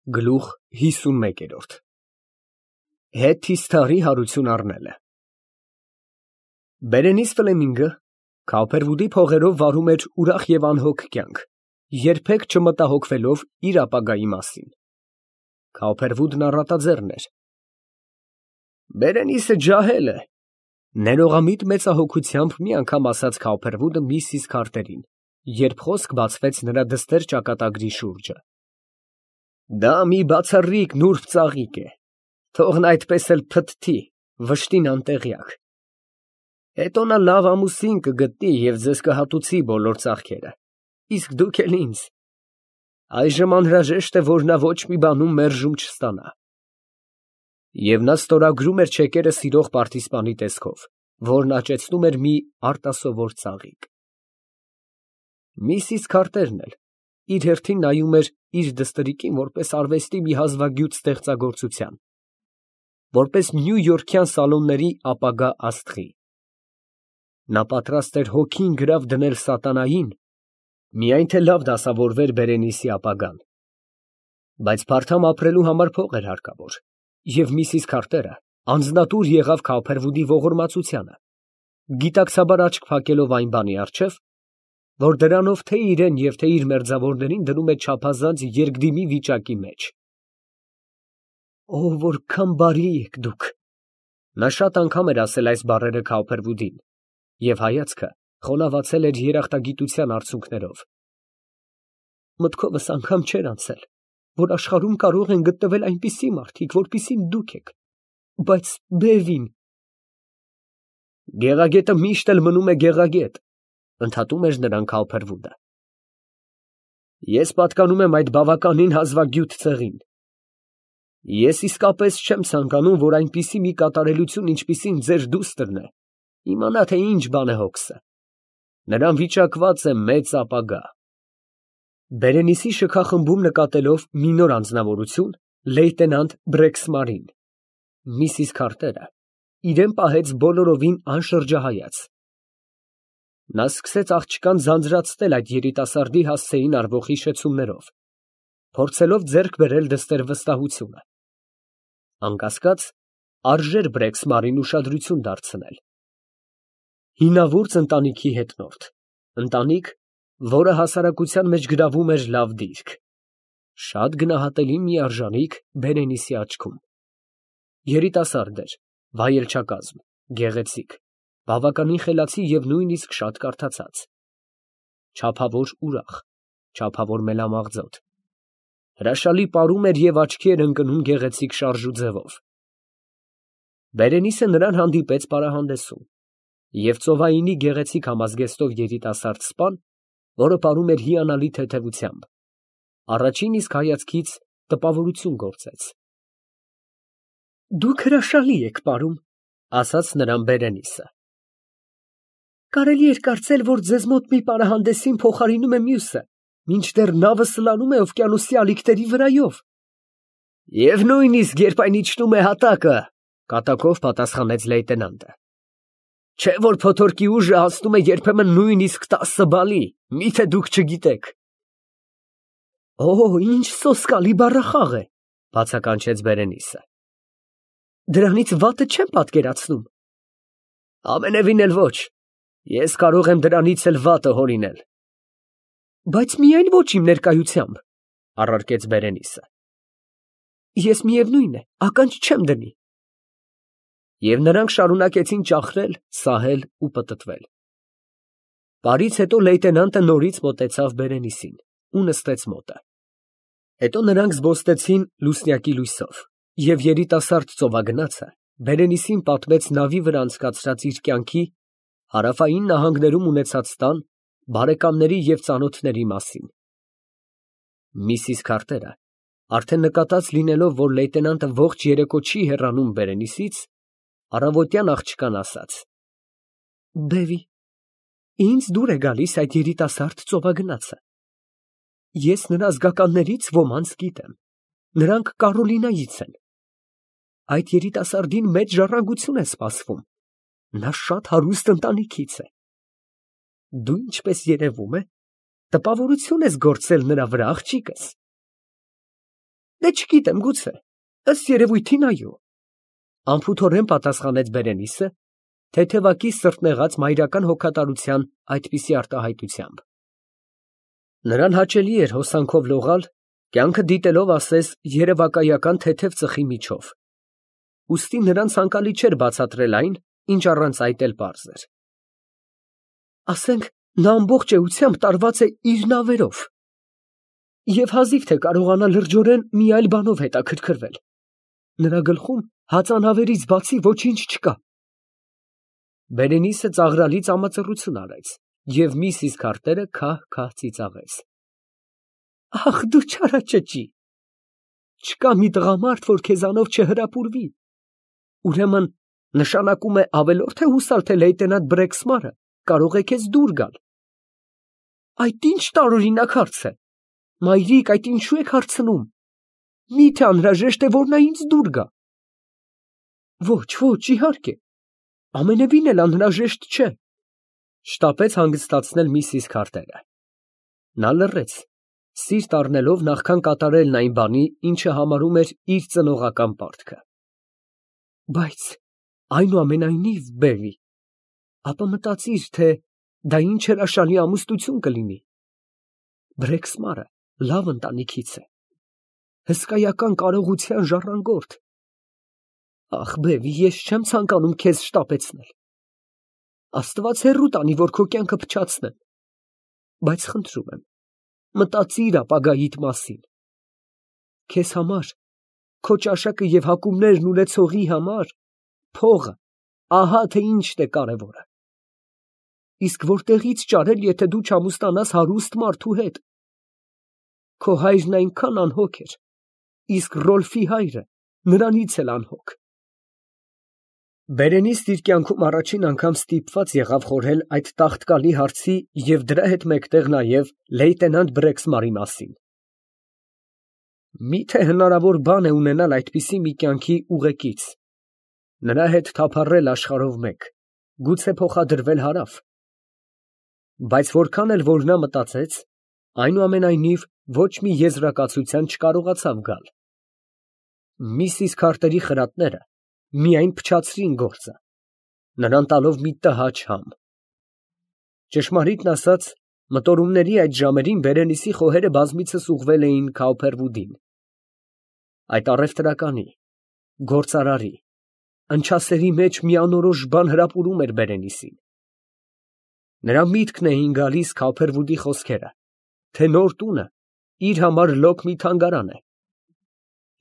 Գլուխ 51 Հետ թիթառի հարություն առնելը։ Բերենիս Ֆլեմինգը Քափերվուդի փողերով վարում էր ուրախ և անհոգ կյանք, երբեք չմտահոգվելով իր ապագայի մասին։ Քափերվուդն առատաձեռն էր։ Բերենիսը ջահել է, ներողամիտ մեծահոգությամբ մի անգամ ասաց Քափերվուդը միսիս Քարտերին, երբ խոսք բացվեց նրա դստեր ճակատագրի շուրջը։ Դա մի բացառիկ նուրբ ծաղիկ է, թող նա այդպես էլ փթթի, վշտին անտեղյակ։ Հետո նա լավ ամուսին կգտնի և ձեզ կհատուցի բոլոր ծախքերը, իսկ դուք էլ ինձ։ Այժմ անհրաժեշտ է, որ նա ոչ մի բանում մերժում չստանա։ Եվ նա ստորագրում էր չեկերը սիրող պարտիզպանի տեսքով, որն աճեցնում էր մի արտասովոր ծաղիկ։ Միսիս Քարտերն էլ իր հերթին նայում էր իր դստերիկին որպես արվեստի մի հազվագյուտ ստեղծագործության, որպես նյույորքյան սալոնների ապագա աստղի։ Նա պատրաստ էր հոգին գրավ դնել սատանային, միայն թե լավ դասավորվեր Բերենիսի ապագան։ Բայց փարթամ ապրելու համար փող էր հարկավոր, և միսիս Քարտերը անձնատուր եղավ Քափերվուդի ողորմածությանը, գիտակցաբար աչք փակելով այն բանի առջև, որ դրանով թե իրեն և թե իր մերձավորներին դնում է չափազանց երկդիմի վիճակի մեջ։ Ո՜վ որքան բարի եք դուք։ Նա շատ անգամ էր ասել այս բառերը Քափերվուդին, և հայացքը խոնավացել էր երախտագիտության արցունքներով։ Մտքովս անգամ չէր անցել, որ աշխարհում կարող են գտնվել այնպիսի մարդիկ, որպիսին դուք եք, բայց բևին… Գեղագետը միշտ էլ մնում է գեղագետ, ընդհատում էր նրան Քափերվուդը։ Ես պատկանում եմ այդ բավականին հազվագյուտ ցեղին։ Ես իսկապես չեմ ցանկանում, որ այնպիսի մի կատարելություն, ինչպիսին ձեր դուստրն է, իմանա, թե ինչ բան է հոգսը։ Նրան վիճակված է մեծ ապագա։ Բերենիսի շքախմբում նկատելով մի նոր անձնավորություն, լեյտենանտ Բրեքսմարին, միսիս Քարտերը իրեն պահեց բոլորովին անշրջահայաց։ Նա սկսեց աղջկան ձանձրացնել այդ երիտասարդի հասցեին արվող հիշեցումներով, փորձելով ձեռք բերել դստեր վստահությունը։ Անկասկած, արժեր Բրեքսմարին ուշադրություն դարձնել։ Հինավուրց ընտանիքի հետնորդ, ընտանիք, որը հասարակության մեջ գրավում էր լավ դիրք, շատ գնահատելի մի արժանիք Բերենիսի աչքում։ Երիտասարդ էր, վայելչակազմ, գեղեցիկ, բավականին խելացի և նույնիսկ շատ կարդացած, չափավոր ուրախ, չափավոր մելամաղձոտ, հրաշալի պարում էր և աչքի էր ընկնում գեղեցիկ շարժու ձևով։ Բերենիսը նրան հանդիպեց պարահանդեսում, և ծովայինի գեղեցիկ համազգեստով երիտասարդ սպան, որը պարում էր հիանալի թեթևությամբ, առաջին իսկ հայացքից տպավորություն գործեց։ Դուք հրաշալի եք պարում, ասաց նրան Բերենիսը։ Կարելի էր կարծել, որ ձեզ մոտ մի պարահանդեսին փոխարինում է մյուսը, մինչդեռ նավը սլանում է օվկիանոսի ալիքների վրայով։ Եվ նույնիսկ երբ այն իջնում է հատակը, կատակով պատասխանեց լեյտենանտը։ Չէ՞ որ փոթորկի ուժը հասնում է երբեմն նույնիսկ 10 բալի, միթե դուք չգիտեք։ Օ, ինչ սոսկալի բառախաղ է, բացականչեց Բերենիսը։ Դրանից վատը չեմ պատկերացնում։ Ամենևին էլ ոչ, ես կարող եմ դրանից էլ վատը հորինել։ Բայց միայն ոչ իմ ներկայությամբ, առարկեց Բերենիսը։ Ես միևնույն է, ականջ չեմ դնի։ Եվ նրանք շարունակեցին ճախրել, սահել ու պտտվել։ Պարից հետո լեյտենանտը նորից մոտեցավ Բերենիսին ու նստեց մոտը։ Հետո նրանք զբոստեցին լուսնյակի լույսով, և երիտասարդ ծովագնացը Բերենիսին պատմեց նավի վրա անցկացրած իր կյանքի, հարավային նահանգներում ունեցած տան, բարեկամների և ծանոթների մասին։ Միսիս Քարտերը, արդեն նկատած լինելով, որ լեյտենանտը ողջ երեկո չի հեռանում Բերենիսից, առավոտյան աղջկան ասաց. Բևի, ինձ դուր է գալիս այդ երիտասարդ ծովագնացը։ Ես նրա զգականներից ոմանց գիտեմ, նրանք Կարոլինայից են։ Այդ երիտասարդին մեծ ժառանգություն է սպասվում, նա շատ հարուստ ընտանիքից է։ Դու, ինչպես երևում է, տպավորություն ես գործել նրա վրա, աղջիկս։ Դե չգիտեմ, գուցե, ըստ երևույթին այո։ Անփութորեն պատասխանեց Բերենիսը, թեթևակի սրտնեղած մայրական հոգատարության այդպիսի արտահայտությամբ։ Նրան հաճելի էր հոսանքով լողալ, կյանքը դիտելով ասես երևակայական թեթև ծխի միջով։ Ուստի նրան ցանկալի չէր բացատրել այն, ինչ առանց այդ էլ պարզ էր։ Ասենք, նա ամբողջ էությամբ տարված է իր նավերով, և հազիվ թե կարողանա լրջորեն մի այլ բանով հետաքրքրվել։ Նրա գլխում հածանավերից բացի ոչինչ չկա։ Բերենիսը ծաղրալի ծամածռություն արեց, և միսիս Քարտերը քահ-քահ ծիծաղեց։ Ախ, դու չարաճճի, չկա մի տղամարդ, որ քեզանով չհրապուրվի։ Ուրեմն նշանակում է ավելորդ է հուսալ, թե լեյտենանտ Բրեքսմարը կարող է քեզ դուր գալ։ Այդ ինչ տարօրինակ հարց է։ Մայրիկ, այդ ինչու եք հարցնում։ Մի՞թե անհրաժեշտ է, որ նա ինձ դուր գա։ Ոչ, ոչ, իհարկե, ամենևին էլ անհրաժեշտ չէ, շտապեց հանգստացնել միսիս Քարտերը։ Նա լռեց, սիրտ առնելով նախքան կատարելն այն բանի, ինչը համարում էր իր ծնողական պարտքը։ Բայց այնուամենայնիվ, Բեվի, ապա մտածիր, թե դա ինչ հրաշալի ամուսնություն կլինի։ Բրեքսմարը լավ ընտանիքից է, հսկայական կարողության ժառանգորդ։ Ախ, Բեվի, ես չեմ ցանկանում քեզ շտապեցնել։ Աստված հեռու տանի, որ քո կյանքը փչացնեմ, բայց խնդրում եմ, մտածիր ապագայիդ մասին։ Քեզ համար, քո ճաշակը և հակումներն ունեցողի համար, փողը, ահա թե ինչն է կարևորը։ Իսկ որտեղի՞ց ճարել, եթե դու չամուսնանաս հարուստ մարդու հետ։ Քո հայրն այնքան անհոգ էր, իսկ Ռոլֆի հայրը նրանից էլ անհոգ։ Բերենիսն իր կյանքում առաջին անգամ ստիպված եղավ խորհել այդ տաղտկալի հարցի և դրա հետ մեկտեղ նաև լեյտենանտ Բրեքսմարի մասին։ Մի՞թե հնարավոր բան է ունենալ այդպիսի մի կյանքի ուղեկից, նրա հետ թափառել աշխարհով մեկ, գուցե փոխադրվել հարավ։ Բայց որքան էլ որ նա մտածեց, այնուամենայնիվ ոչ մի եզրակացության չկարողացավ գալ։ Միսիս Քարտերի խրատները միայն փչացրին գործը, նրան տալով մի տհաճ համ։ Ճշմարիտն ասած, մտորումների այդ ժամերին Բերենիսի խոհերը բազմիցս ուղղվել էին Քաուփերվուդին։ Այդ առևտրականի, գործարարի, ընչասերի մեջ մի անորոշ բան հրապուրում էր Բերենիսին։ Նրա միտքն էին գալիս Քաուփերվուդի խոսքերը, թե նոր տունը իր համար լոկ մի թանգարան է։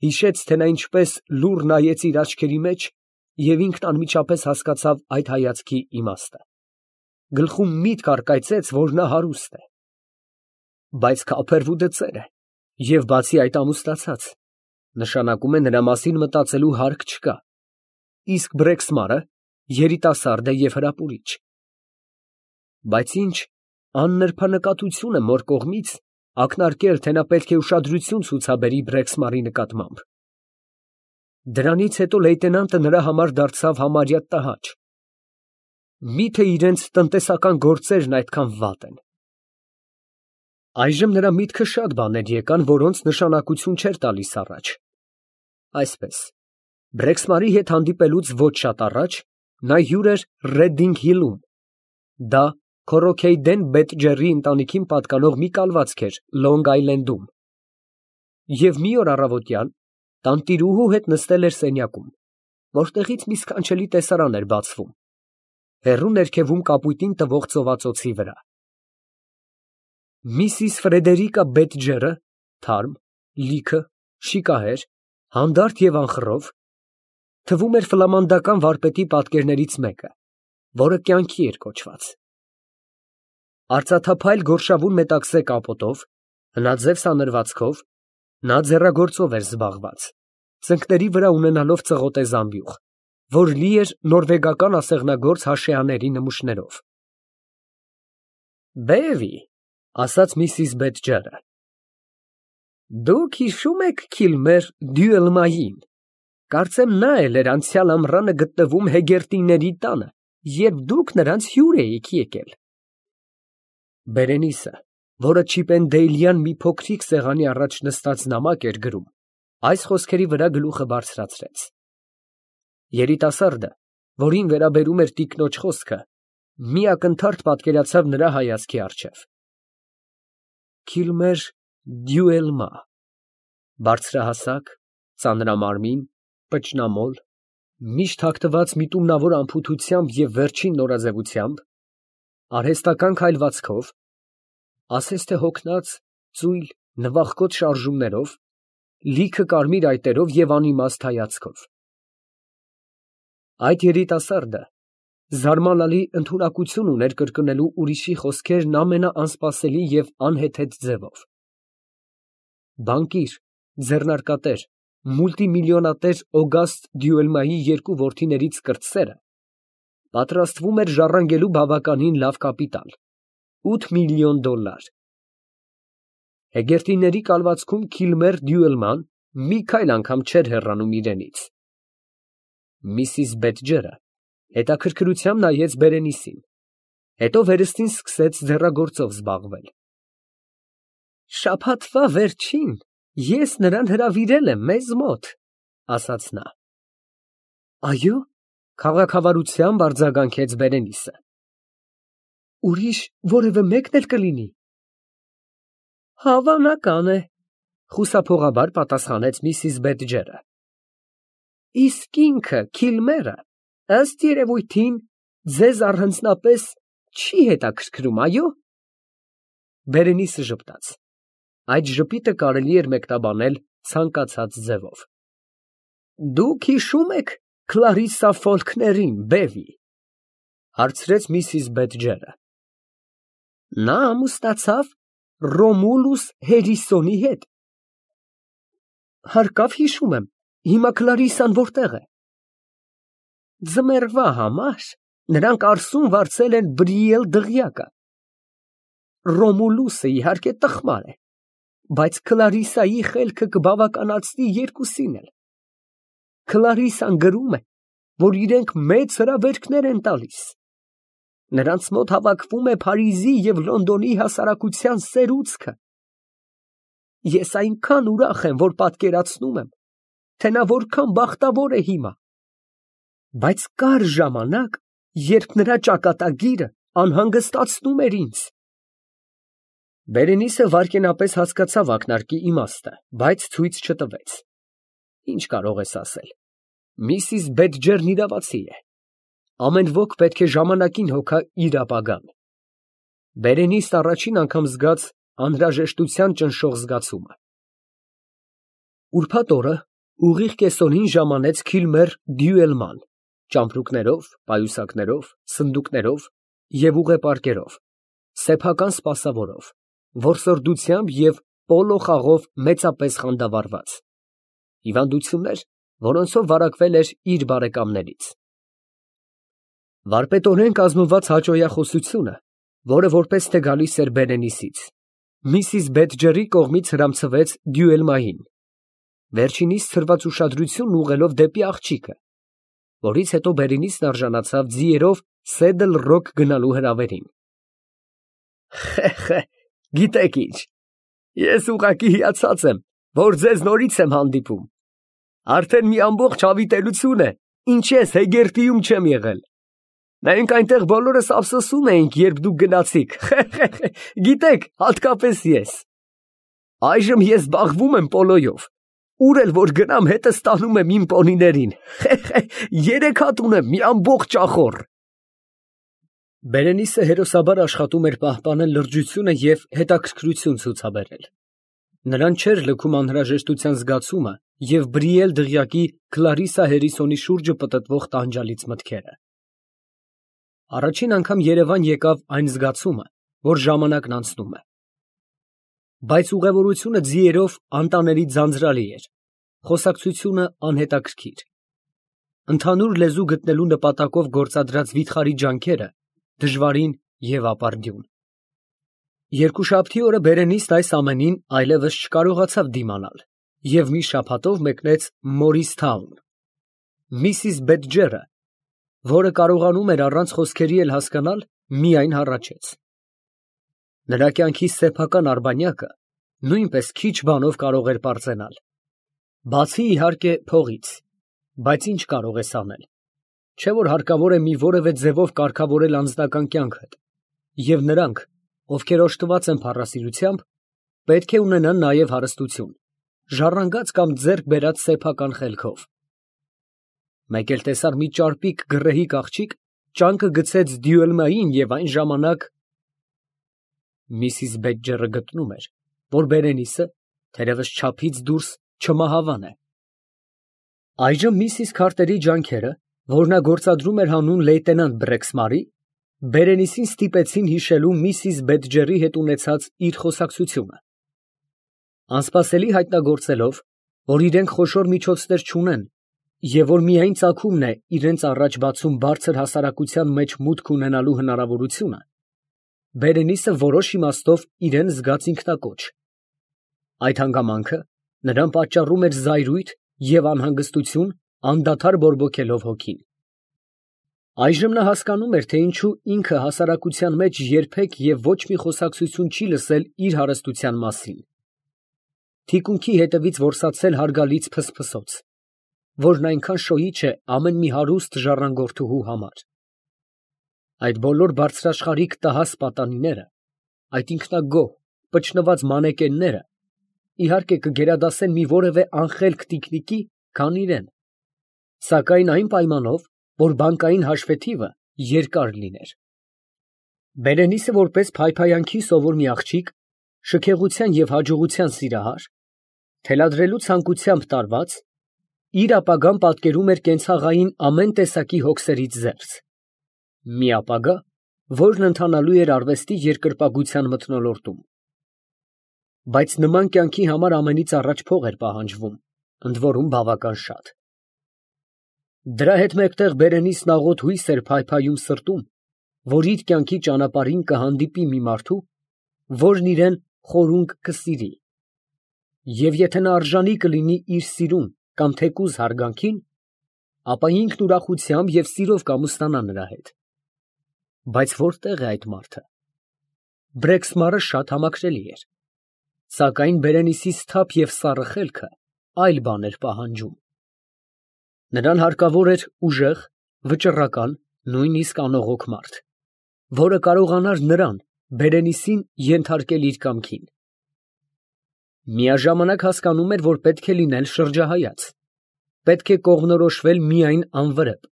Հիշեց, թե նա ինչպես լուռ նայեց իր աչքերի մեջ և ինքն անմիջապես հասկացավ այդ հայացքի իմաստը։ Գլխում միտք առկայծեց, որ նա հարուստ է։ Բայց Քաուփերվուդը ծեր է, և բացի այդ ամուսնացած, նշանակում է նրա մասին մտածելու հարկ չկա, իսկ Բրեքսմարը երիտասարդ է և հրապուրիչ։ Բայց ինչ աննրբանկատություն է մոր կողմից ակնարկել, թե նա պետք է ուշադրություն ցուցաբերի Բրեքսմարի նկատմամբ։ Դրանից հետո լեյտենանտը նրա համար դարձավ համարյա տհաճ։ Մի՞թե իրենց տնտեսական գործերն այդքան վատ են։ Այժմ նրա միտքը շատ բաներ եկան, որոնց նշանակություն չէր տալիս առաջ։ Այսպես, Բրեքսմարի հետ հանդիպելուց ոչ շատ առաջ նա հյուր էր Ռեդինգ Հիլում։ Դա Քորոքեյդեն Բեթջերի ընտանիքին պատկանող մի կալվածք էր Լոնգ Այլենդում։ Եվ մի օր առավոտյան տանտիրուհու հետ նստել էր սենյակում, որտեղից մի սքանչելի տեսարան էր բացվում, հեռու ներքևում կապույտին տվող ծովածոցի վրա։ Միսիս Ֆրեդերիկա Բեթջերը, թարմ, լիքը, շիկահեր, հանդարտ և անխռով, թվում էր ֆլամանդական վարպետի պատկերներից մեկը, որը կյանքի էր կոչված։ Արծաթափայլ գորշավուն մետաքսե կապոտով, հնաձև սանրվածքով, նա ձեռագործով էր զբաղված, ծնկների վրա ունենալով ծղոտե զամբյուղ, որ լի էր նորվեգական ասեղնագործ հաշեաների նմուշներով։ Բեվի, ասաց միսիս Բեթջերը, դուք հիշում եք Քիլմեր Դյուելմային, կարծեմ նա էլ էր անցյալ ամռանը գտնվում Հեգերտիների տանը, երբ դուք նրանց հյուր էիք եկել։ Բերենիսը, որը Չիպենդեյլյան մի փոքրիկ սեղանի առաջ նստած նամակ էր գրում, Այս խոսքերի վրա գլուխը բարձրացրեց։ Երիտասարդը, որին վերաբերում էր տիկնոջ խոսքը, մի ակնթարթ պատկերացավ նրա հայացքի առջև։ Քիլմեր Դյուելմա, բարձրահասակ, ծանրամարմին, պճնամոլ, միշտ հագնված միտումնավոր անփութությամբ և վերջին նորաձևությամբ, արհեստական քայլվածքով, ասես թե հոգնած, ծույլ, նվախկոտ շարժումներով, լիքը կարմիր այտերով և անիմաստ հայացքով։ Այդ երիտասարդը զարմանալի ընդունակություն ուներ կրկնելու ուրիշի խոսքերն ամենաանսպասելի և անհեթեթ ձևով։ Բանկիր, ձեռնարկատեր, մուլտիմիլիոնատեր Օգաստ Դյուելմայի երկու որդիներից կրտսերը պատրաստվում էր ժառանգելու բավականին լավ կապիտալ՝ $8 միլիոն։ Հեգերտիների կալվածքում Քիլմեր Դյուելման մի քայլ անգամ չէր հեռանում իրենից։ Միսիս Բեդջերը հետաքրքրությամբ նայեց Բերենիսին, հետո վերստին սկսեց ձեռագործով զբաղվել։ Շաբաթվա վերջին ես նրան հրավիրել եմ մեզ մոտ, ասաց նա։ Այո՞, քաղաքավարությամբ արձագանքեց Բերենիսը։ Ուրիշ որևէ մեկն էլ կլինի։ Հավանական է, խուսափողաբար պատասխանեց միսիս Բեդջերը։ Իսկ ինքը Քիլմերը, ըստ երևույթին, ձեզ առանձնապես չի հետաքրքրում, այո։ Բերենիսը ժպտաց։ Այդ ժպիտը կարելի էր մեկնաբանել ցանկացած ձևով։ Դուք հիշում եք Քլարիսսա Ֆոլքներին, բևի, հարցրեց միսիս Բեդջերը։ Նա ամուսնացավ Ռոմուլուս Հերիսոնի հետ։ Հարկավ հիշում եմ, հիմա Քլարիսսան որտեղ է։ Ձմեռվա համար նրանք Արսում վարձել են Բրիել դղյակը։ Ռոմուլուսը իհարկե տխմար է, բայց Քլարիսսայի խելքը կբավականացնի երկուսին էլ։ Քլարիսսան գրում է, որ իրենք մեծ հրավերքներ են տալիս։ Նրանց մոտ հավաքվում է Փարիզի և Լոնդոնի հասարակության սերուցքը։ Ես այնքան ուրախ եմ, որ պատկերացնում եմ, թե նա որքան բախտավոր է հիմա։ Բայց կար ժամանակ, երբ նրա ճակատագիրը անհանգստացնում էր ինձ։ Բերենիսը վայրկենապես հասկացավ ակնարկի իմաստը, բայց ցույց չտվեց։ Ինչ կարող ես ասել։ Միսիս Բեդջերն իրավացի է։ Ամեն ոք պետք է ժամանակին հոգա իր ապագան։ Բերենիսն առաջին անգամ զգաց անհրաժեշտության ճնշող զգացումը։ Ուրբաթ օրը ուղիղ կեսօրին ժամանեց Քիլմեր Դյուելման, ճամպրուկներով, պայուսակներով, սնդուկներով և ուղեպարկերով, սեփական սպասավորով, որսորդությամբ և պոլո խաղով մեծապես խանդավառված։ Հիվանդություններ, որոնցով վարակվել էր իր բարեկամներից։ Վարպետորեն կազմված հաճոյախոսությունը, որը որպես թե գալիս էր Բերենիսից, միսիս Բեդջերի կողմից հրամցվեց Դյուելմային, վերջինիս ցրված ուշադրությունն ուղղելով դեպի աղջիկը, որից հետո Բերենիսն արժանացավ ձիերով Սեդլ Ռոք գնալու հրավերին։ Խե, գիտեք ինչ, ես ուղղակի հիացած եմ, որ ձեզ նորից եմ հանդիպում։ Արդեն մի ամբողջ հավիտենություն է, ինչ ես Հեգերտիում չեմ եղել։ Մենք այնտեղ բոլորս ափսոսում էինք, երբ դուք գնացիք, գիտեք, հատկապես ես։ Այժմ ես զբաղվում եմ պոլոյով, ուր էլ որ գնամ հետս տանում եմ իմ պոնիներին, 3 հատ ունեմ, մի ամբողջ ճախոր։ Բերենիսը հերոսաբար աշխատում էր պահպանել լրջությունը և հետաքրքրություն ցուցաբերել։ Նրան չէր լքում անհրաժեշտության զգացումը և Բրիել դղյակի Քլարիսսա Հերիսոնի շուրջը պտտվող տանջալից մտքերը։ Առաջին անգամ Երևան եկավ այն զգացումը, որ ժամանակն անցնում է։ Բայց ուղևորությունը ձիերով անտանելի ձանձրալի էր, խոսակցությունը անհետաքրքիր։ Ընդհանուր լեզու գտնելու նպատակով գործադրած վիթխարի ջանքերը դժվարին և ապարդյուն։ Երկուշաբթի օրը Բերենիսն այս ամենին այլևս չկարողացավ դիմանալ և մի շաբաթով մեկնեց Մորիսթաուն։ Միսիս Բեդջերը, որը կարողանում էր առանց խոսքերի էլ հասկանալ, միայն հառաչեց։ Նրա կյանքի սեփական արբանյակը նույնպես քիչ բանով կարող էր պարծենալ։ Բացի իհարկե փողից, բայց ինչ կարող ես անել։ Չէ՞ որ հարկավոր է մի որևէ ձևով կարգավորել անձնական կյանքդ, և նրանք, ովքեր օժտված են փառասիրությամբ, պետք է ունենան նաև հարստություն, ժառանգած կամ ձեռք բերած սեփական խելքով։ Մեկ էլ տեսար մի ճարպիկ գռեհիկ աղջիկ, ճանկը գցեց Դյուելմային և այն ժամանակ… Միսիս Բեդջերը գտնում էր, որ Բերենիսը, թերևս չափից դուրս, չմահավան է։ Այժմ միսիս Քարտերի ջանքերը, որ նա գործադրում էր հանուն լեյտենանտ Բրեքսմարի, Բերենիսին ստիպեցին հիշելու միսիս Բեդջերի հետ ունեցած իր խոսակցությունը։ Անսպասելի հայտնագործելով, որ իրենք խոշոր միջոցներ չունեն և որ միայն ծագումն է իրենց առաջ բացում բարձր հասարակության մեջ մուտք ունենալու հնարավորությունը, Բերենիսը որոշ իմաստով իրան զգաց ինքնակոչ։ Այդ հանգամանքը նրան պատճառում էր զայրույթ և անհանգստություն, անդադար բորբոքելով հոգին։ Այժմ նա հասկանում էր, թե ինչու ինքը հասարակության մեջ երբեք և ոչ մի խոսակցություն չի լսել իր հարստության մասին։ Թիկունքի հետևից որսացել հարգալից փսփսոց, որն այնքան շոյիչ է ամեն մի հարուստ ժառանգորդուհու համար։ Այդ բոլոր բարձրաշխարհիկ տհաս պատանիները, այդ ինքնագոհ, պճնված մանեկենները, իհարկե կգերադասեն մի որևէ անխելք տիկնիկի, քան իրեն, սակայն այն պայմանով, որ բանկային հաշվետիվը երկար լիներ։ Բերենիսը որպես փայփայանքի սովոր մի աղջիկ, շքեղության և հաջողության սիրահար, թելադրելու ցանկությամբ տարված, իր ապագան պատկերում էր կենցաղային ամեն տեսակի հոգսերից զերծ, մի ապագա, որն ընթանալու էր արվեստի երկրպագության մթնոլորտում։ Բայց նման կյանքի համար ամենից առաջ փող էր պահանջվում, ընդ որում բավական շատ։ Դրա հետ մեկտեղ Բերենիսն աղոտ հույս էր փայփայում սրտում, որ իր կյանքի ճանապարհին կհանդիպի մի մարդու, որն իրան խորունկ կսիրի, և եթե նա արժանի կլինի իր սիրուն կամ թեկուզ հարգանքին, ապա ինքն ուրախությամբ և սիրով կամուսնանա նրա հետ։ Բայց որտե՞ղ է այդ մարդը։ Բրեքսմարը շատ համակրելի էր, սակայն Բերենիսի սթափ և սառը խելքը այլ բան էր պահանջում։ Նրան հարկավոր էր ուժեղ, վճռական, նույնիսկ անողոք մարդ, որը կարողանար նրան, Բերենիսին, ենթարկել իր կամքին։ Միաժամանակ հասկանում էր, որ պետք է լինել շրջահայաց, պետք է կողմնորոշվել միայն անվրեպ,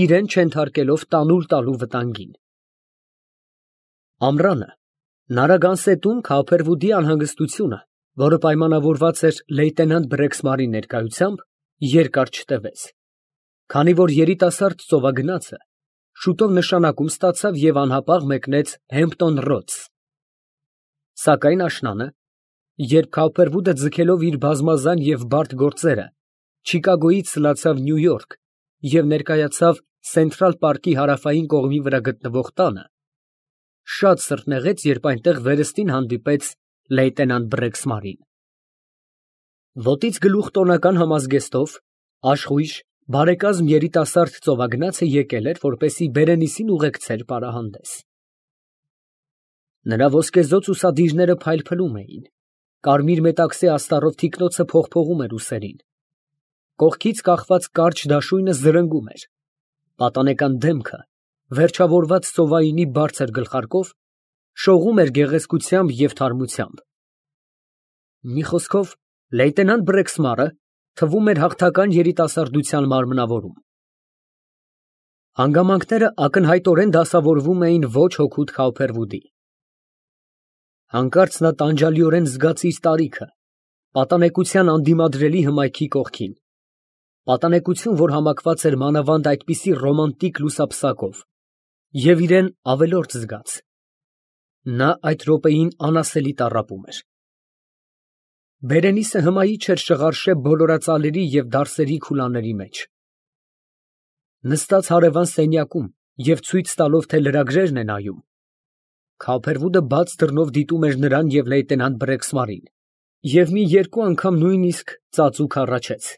իրան չենթարկելով տանուլ տալու վտանգին։ Ամռանը Նարագանսետում Քափերվուդի անհանգստությունը, որը պայմանավորված էր լեյտենանտ Բրեքսմարի ներկայությամբ, երկար չտևեց, քանի որ երիտասարդ ծովագնացը շուտով նշանակում ստացավ և անհապաղ մեկնեց Հեմփտոն Ռոդս։ Սակայն աշնանը, երբ Քափերվուդը ձգելով իր բազմազան և բարդ գործերը, Չիկագոյից սլացավ Նյու Յորք և ներկայացավ Սենթրալ պարկի հարավային կողմի վրա գտնվող տանը, շատ սրտնեղեց, երբ այնտեղ վերստին հանդիպեց լեյտենանտ Բրեքսմարին։ Ոտից գլուխ տոնական համազգեստով, աշխույժ, բարեկազմ երիտասարդ ծովագնացը եկել էր, որպեսզի Բերենիսին ուղեկցեր պարահանդես։ Նրա ոսկեզօծ ուսադիրները փայլփլում էին, կարմիր մետաքսե աստառով թիկնոցը փողփողում էր ուսերին, կողքից կախված կարճ դաշույնը զրնգում էր, պատանեկան դեմքը, վերջավորված ծովայինի բարձր գլխարկով, շողում էր գեղեցկությամբ և թարմությամբ։ Մի խոսքով, լեյտենանտ Բրեքսմարը թվում էր հաղթական երիտասարդության մարմնավորում։ Հանգամանքները ակնհայտորեն դասավորվում էին ոչ հօգուտ Քափերվուդի։ Հանկարծ նա տանջալիորեն զգաց իր տարիքը, պատանեկության անդիմադրելի հմայքի կողքին, պատանեկություն, որ համակված էր մանավանդ այդպիսի ռոմանտիկ լուսապսակով, և իրան ավելորդ զգաց։ Նա այդ րոպեին անասելի տառապում էր։ Բերենիսը հմայի չէր շղարշե բոլորածալերի և դարսերի քուլաների մեջ։ Նստած հարևան սենյակում և ցույց տալով, թե լրագրերն է նայում, Քափերվուդը բաց դռնով դիտում էր նրան և լեյտենանտ Բրեքսմարին և մի երկու անգամ նույնիսկ ծածուկ հառաչեց։